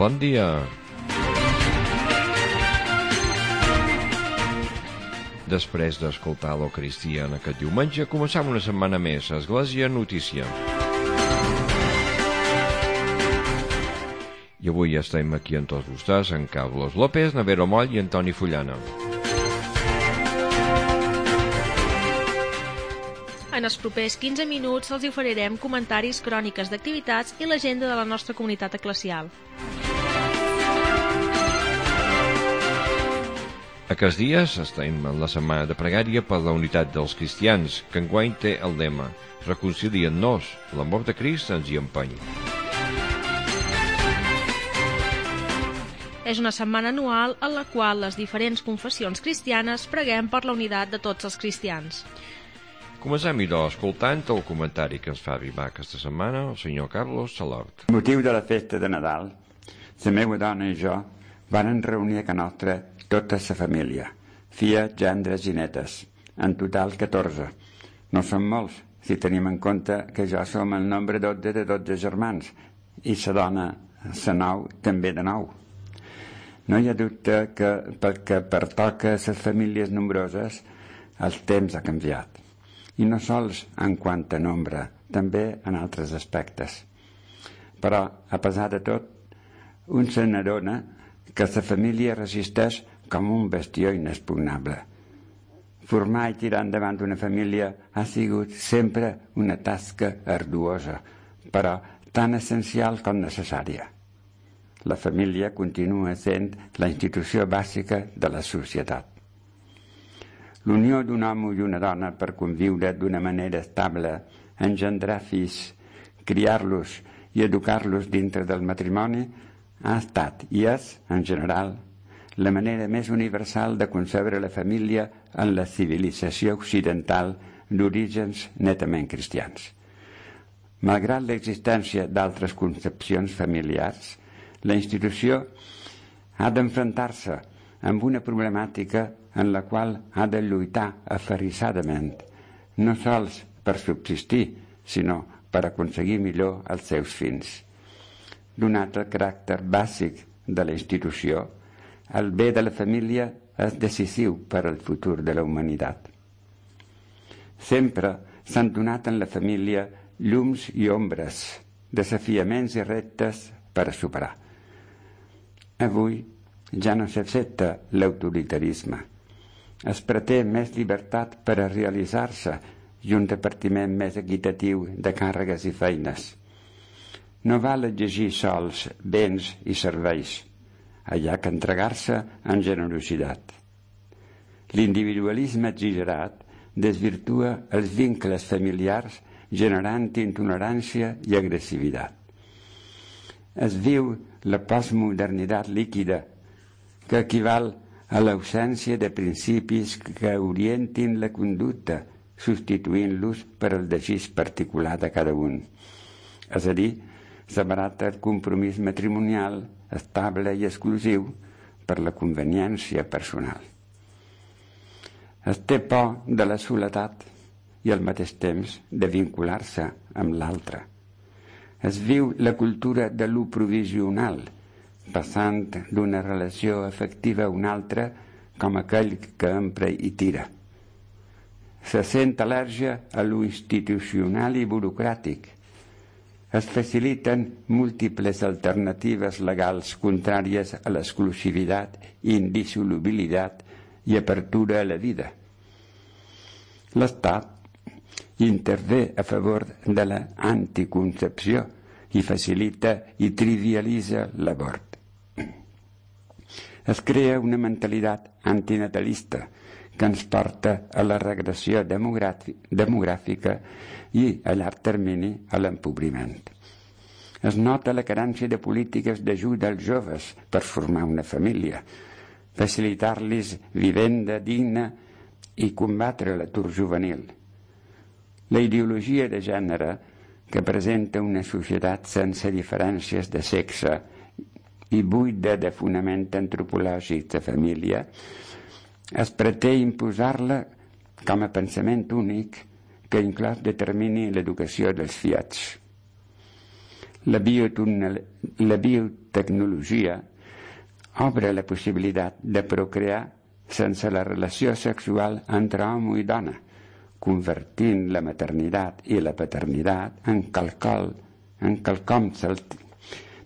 Bon dia. Després d'escoltar l'Eucaristia en aquest diumenge, començam una setmana més a Església Notícia. I avui estem aquí amb tots vostès, en Carlos López, Navero Moll i Antoni Fullana. En els propers 15 minuts els oferirem comentaris, cròniques d'activitats i l'agenda de la nostra comunitat eclesial. Aquests dies estem en la setmana de pregària per la unitat dels cristians, que enguany té el lema Reconcilien-nos, l'amor de Crist ens hi empeny. És una setmana anual en la qual les diferents confessions cristianes preguem per la unitat de tots els cristians. Comencem, doncs, escoltant el comentari que ens fa arribar aquesta setmana el senyor Carlos Salort. Amb motiu de la festa de Nadal, la meva dona i jo varen reunir a ca nostra tota la família, filles, gendres i netes, en total 14. No són molts, si tenim en compte que jo som el nombre 12 de 12 germans, i la dona, la 9, també de 9. No hi ha dubte que perquè pertoca a les famílies nombroses, el temps ha canviat. I no sols en quant a nombre, també en altres aspectes. Però, a pesar de tot, un se n'adona que la família resisteix com un bastió inexpugnable. Formar i tirar endavant una família ha sigut sempre una tasca arduosa, però tan essencial com necessària. La família continua sent la institució bàsica de la societat. L'unió d'un home i una dona per conviure d'una manera estable, engendrar fills, criar-los i educar-los dintre del matrimoni ha estat i és, en general, la manera més universal de concebre la família en la civilització occidental d'orígens netament cristians. Malgrat l'existència d'altres concepcions familiars, la institució ha d'enfrontar-se amb una problemàtica en la qual ha de lluitar aferrissadament, no sols per subsistir, sinó per aconseguir millor els seus fins. Donat el caràcter bàsic de la institució, el bé de la família és decisiu per al futur de la humanitat. Sempre s'han donat en la família llums i ombres, desafiaments i reptes per a superar. Avui ja no s'accepta l'autoritarisme. Es pretén més llibertat per a realitzar-se i un repartiment més equitatiu de càrregues i feines. No val exigir sols béns i serveis, allà que entregar-se en generositat. L'individualisme exagerat desvirtua els vincles familiars generant intolerància i agressivitat. Es viu la postmodernitat líquida, que equival a l'ausència de principis que orientin la conducta, substituint-los per el desig particular de cada un. És a dir, s'abarata el compromís matrimonial estable i exclusiu per la conveniència personal. Es té por de la soledat i al mateix temps de vincular-se amb l'altre. Es viu la cultura de l'u provisional, passant d'una relació afectiva a una altra com aquell que empra i tira. Se sent al·lèrgia a l'u institucional i burocràtic. Es faciliten múltiples alternatives legals contràries a l'exclusivitat, indissolubilitat i apertura a la vida. L'Estat intervé a favor de l'anticoncepció i facilita i trivialitza l'abort. Es crea una mentalitat antinatalista que ens porta a la regressió demogràfica i, a llarg termini, a l'empobriment. Es nota la carència de polítiques d'ajuda als joves per formar una família, facilitar-los vivenda digna i combatre l'atur juvenil. La ideologia de gènere, que presenta una societat sense diferències de sexe i buida de fonament antropològic de família, es pretén imposar-la com a pensament únic que inclòs determini l'educació dels fills. La tecnologia obre la possibilitat de procrear sense la relació sexual entre home i dona, convertint la maternitat i la paternitat en quelcom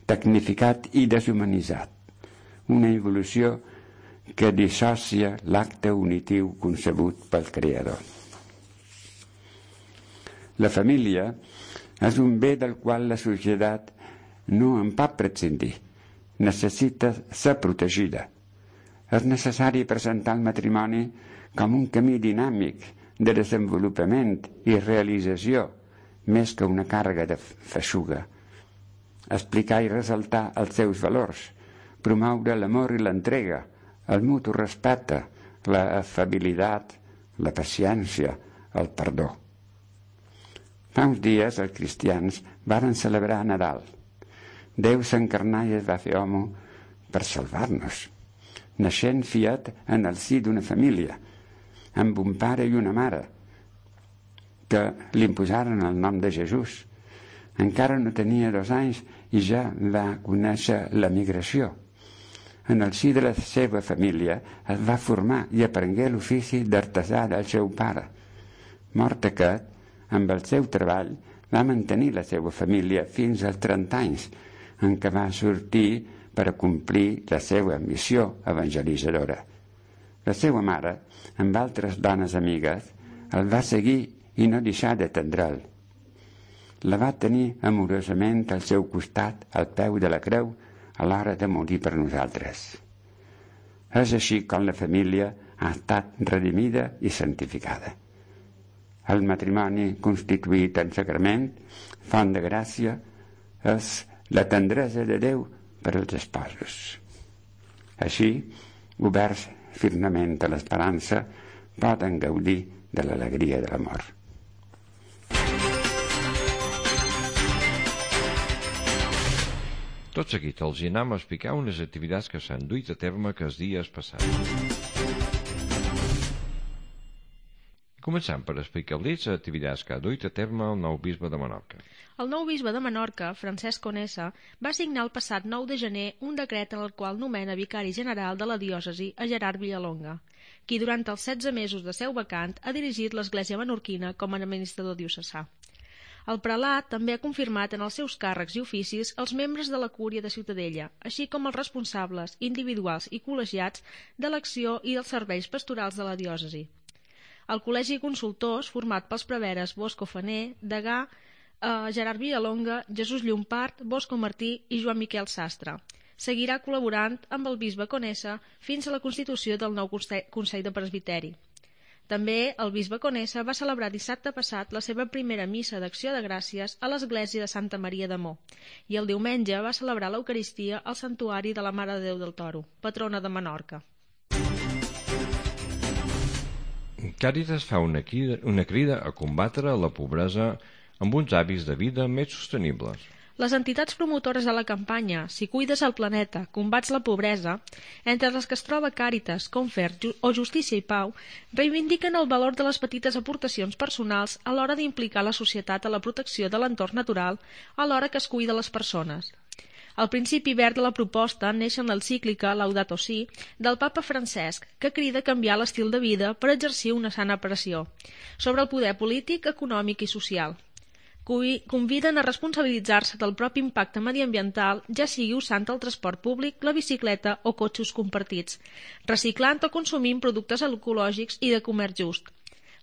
tecnificat i deshumanitzat, una evolució que dissocia l'acte unitiu concebut pel Creador. La família és un bé del qual la societat no en pot prescindir. Necessita ser protegida. És necessari presentar el matrimoni com un camí dinàmic de desenvolupament i realització, més que una càrrega de feixuga. Explicar i ressaltar els seus valors, promoure l'amor i l'entrega, el mutu respecte, l'afabilitat, la paciència, el perdó. Fa uns dies els cristians varen celebrar Nadal. Déu s'encarnà i es va fer home per salvar-nos, naixent fiat en el si d'una família, amb un pare i una mare, que li imposaren el nom de Jesús. Encara no tenia 2 anys i ja va conèixer la migració. En el si de la seva família es va formar i aprengué l'ofici d'artesà del seu pare. Mort aquest, amb el seu treball, va mantenir la seva família fins als 30 anys, en què va sortir per a complir la seva missió evangelitzadora. La seva mare, amb altres dones amigues, el va seguir i no deixar d'atendre'l. La va tenir amorosament al seu costat, al peu de la creu, a l'hora de morir per nosaltres. És així com la família ha estat redimida i santificada. El matrimoni constituït en sagrament, font de gràcia, és la tendresa de Déu per als esposos. Així, oberts firmament a l'esperança, poden gaudir de l'alegria de l'amor. Tot seguit els anem a explicar unes activitats que s'han duit a terme aquests dies passats. Començant per explicar-los les activitats que ha duit a terme el nou bisbe de Menorca. El nou bisbe de Menorca, Francesc Conesa, va signar el passat 9 de gener un decret en el qual nomena vicari general de la diòcesi a Gerard Villalonga, qui durant els 16 mesos de seu vacant ha dirigit l'Església menorquina com a administrador diocesà. El prelat també ha confirmat en els seus càrrecs i oficis els membres de la Cúria de Ciutadella, així com els responsables individuals i col·legiats de l'acció i dels serveis pastorals de la diòcesi. El Col·legi Consultors, format pels preveres Bosco Faner, Degà, Gerard Villalonga, Jesús Llompart, Bosco Martí i Joan Miquel Sastre, seguirà col·laborant amb el bisbe Conesa fins a la constitució del nou Consell de Presbiteri. També el bisbe Conesa va celebrar dissabte passat la seva primera missa d'acció de gràcies a l'església de Santa Maria de Mó i el diumenge va celebrar l'Eucaristia al Santuari de la Mare de Déu del Toro, patrona de Menorca. Càritas fa una crida a combatre la pobresa amb uns hàbits de vida més sostenibles. Les entitats promotores de la campanya Si cuides el planeta, combats la pobresa, entre les que es troba Càritas, Confer o Justícia i Pau, reivindiquen el valor de les petites aportacions personals a l'hora d'implicar la societat a la protecció de l'entorn natural alhora que es cuida les persones. El principi verd de la proposta neix en l'encíclica Laudato Si del papa Francesc, que crida a canviar l'estil de vida per exercir una sana pressió sobre el poder polític, econòmic i social. Conviden a responsabilitzar-se del propi impacte mediambiental, ja sigui usant el transport públic, la bicicleta o cotxes compartits, reciclant o consumint productes ecològics i de comerç just.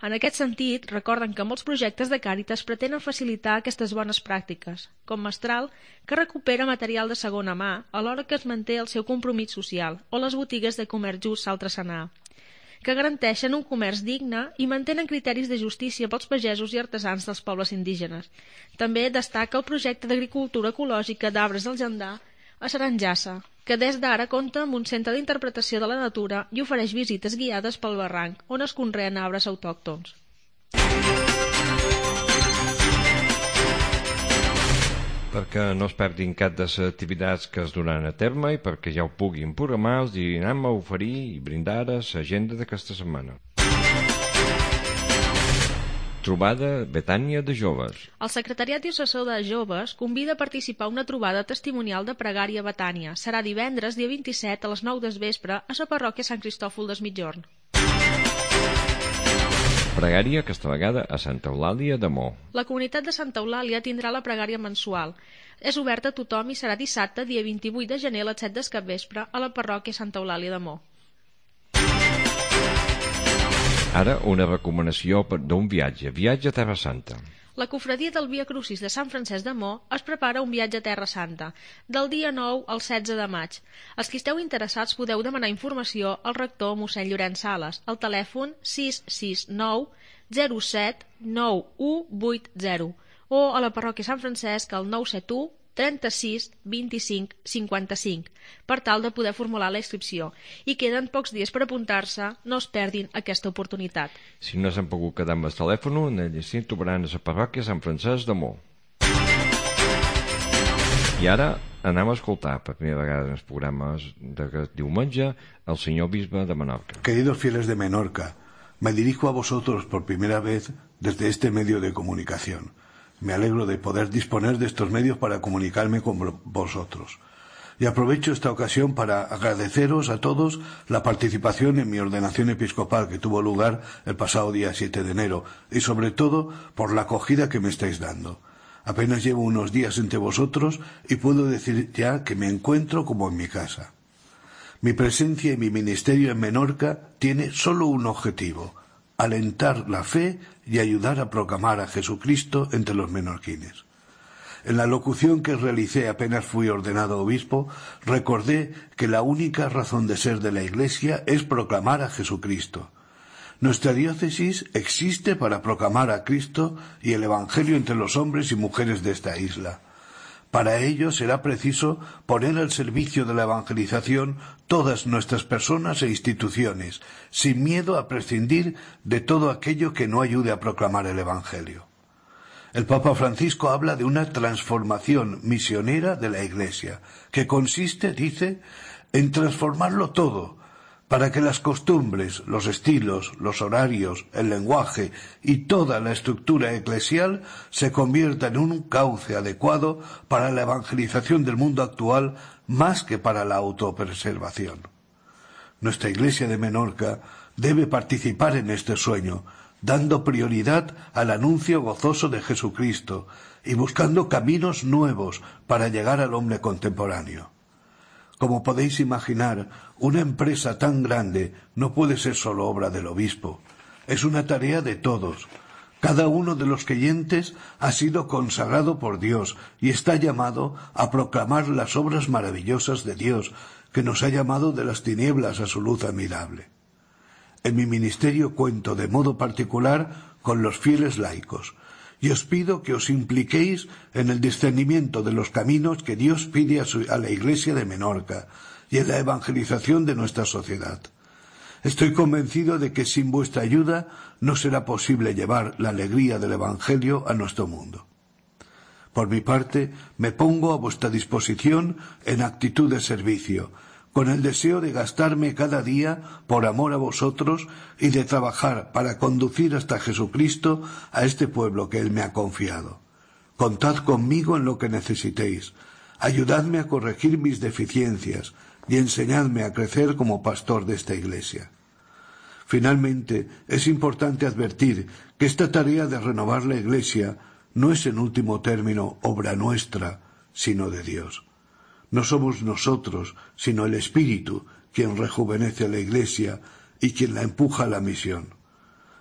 En aquest sentit, recorden que molts projectes de Càritas pretenen facilitar aquestes bones pràctiques, com Mestral, que recupera material de segona mà alhora que es manté el seu compromís social, o les botigues de comerç just Saltresanà, que garanteixen un comerç digne i mantenen criteris de justícia pels pagesos i artesans dels pobles indígenes. També destaca el projecte d'agricultura ecològica d'arbres del Jandà a Saranjassa, que des d'ara compta amb un centre d'interpretació de la natura i ofereix visites guiades pel barranc, on es conreen arbres autòctons. Perquè no es perdin cap de les activitats que es duran a terme i perquè ja ho puguin programar, els anem a oferir i brindar l'agenda d'aquesta setmana. Trobada Betània de joves. El Secretariat Diocesà de Joves convida a participar a una trobada testimonial de pregària a Betània. Serà divendres, dia 27, a les 9 del vespre, a la parròquia Sant Cristòfol des Migjorn. Pregària aquesta vegada a Santa Eulàlia de Mo. La comunitat de Santa Eulàlia tindrà la pregària mensual. És oberta a tothom i serà dissabte, dia 28 de gener, a les 7 del capvespre, a la parròquia Santa Eulàlia de Mo. Ara una recomanació d'un viatge a Terra Santa. La cofradia del Via Crucis de Sant Francesc de Mo es prepara un viatge a Terra Santa, del dia 9 al 16 de maig. Els que esteu interessats podeu demanar informació al rector mossèn Llorenç Sales, al telèfon 669 07 9180 o a la parròquia Sant Francesc al 971 36 25 55 per tal de poder formular la inscripció. I queden pocs dies per apuntar-se, no es perdin aquesta oportunitat. Si no s'han pogut quedar amb el telèfon, allà trobaran a la parròquia Sant Francesc de Mo. I ara anem a escoltar per primera vegada en els programes de diumenge el senyor bisbe de Menorca. Queridos fieles de Menorca, me dirijo a vosotros por primera vez desde este medio de comunicación. Me alegro de poder disponer de estos medios para comunicarme con vosotros. Y aprovecho esta ocasión para agradeceros a todos la participación en mi ordenación episcopal que tuvo lugar el pasado día 7 de enero y sobre todo por la acogida que me estáis dando. Apenas llevo unos días entre vosotros y puedo decir ya que me encuentro como en mi casa. Mi presencia y mi ministerio en Menorca tiene solo un objetivo: alentar la fe y ayudar a proclamar a Jesucristo entre los menorquines. En la locución que realicé apenas fui ordenado obispo, recordé que la única razón de ser de la Iglesia es proclamar a Jesucristo. Nuestra diócesis existe para proclamar a Cristo y el Evangelio entre los hombres y mujeres de esta isla. Para ello será preciso poner al servicio de la evangelización todas nuestras personas e instituciones, sin miedo a prescindir de todo aquello que no ayude a proclamar el Evangelio. El Papa Francisco habla de una transformación misionera de la Iglesia, que consiste, dice, en transformarlo todo, para que las costumbres, los estilos, los horarios, el lenguaje y toda la estructura eclesial se conviertan en un cauce adecuado para la evangelización del mundo actual más que para la autopreservación. Nuestra Iglesia de Menorca debe participar en este sueño, dando prioridad al anuncio gozoso de Jesucristo y buscando caminos nuevos para llegar al hombre contemporáneo. Como podéis imaginar, una empresa tan grande no puede ser solo obra del obispo. Es una tarea de todos. Cada uno de los creyentes ha sido consagrado por Dios y está llamado a proclamar las obras maravillosas de Dios, que nos ha llamado de las tinieblas a su luz admirable. En mi ministerio cuento de modo particular con los fieles laicos, y os pido que os impliquéis en el discernimiento de los caminos que Dios pide a la Iglesia de Menorca y en la evangelización de nuestra sociedad. Estoy convencido de que sin vuestra ayuda no será posible llevar la alegría del Evangelio a nuestro mundo. Por mi parte, me pongo a vuestra disposición en actitud de servicio, con el deseo de gastarme cada día por amor a vosotros y de trabajar para conducir hasta Jesucristo a este pueblo que Él me ha confiado. Contad conmigo en lo que necesitéis. Ayudadme a corregir mis deficiencias y enseñadme a crecer como pastor de esta Iglesia. Finalmente, es importante advertir que esta tarea de renovar la Iglesia no es en último término obra nuestra, sino de Dios. No somos nosotros, sino el Espíritu, quien rejuvenece a la Iglesia y quien la empuja a la misión.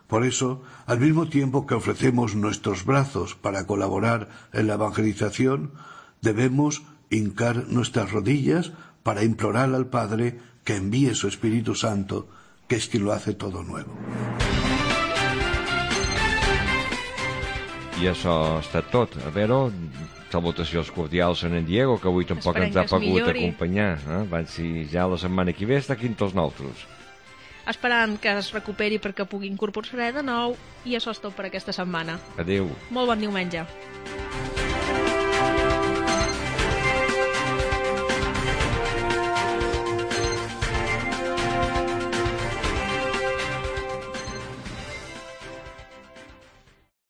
Por eso, al mismo tiempo que ofrecemos nuestros brazos para colaborar en la evangelización, debemos hincar nuestras rodillas para implorar al Padre que envíe su Espíritu Santo, que es quien lo hace todo nuevo. I això ha estat tot. A veure, salutacions cordials a en Diego, que avui tampoc ens ha pogut acompanyar. Van si ja la setmana que ve està aquí amb tots nosaltres. Esperant que es recuperi perquè pugui incorporar-se de nou, i això és tot per aquesta setmana. Adéu. Molt bon diumenge.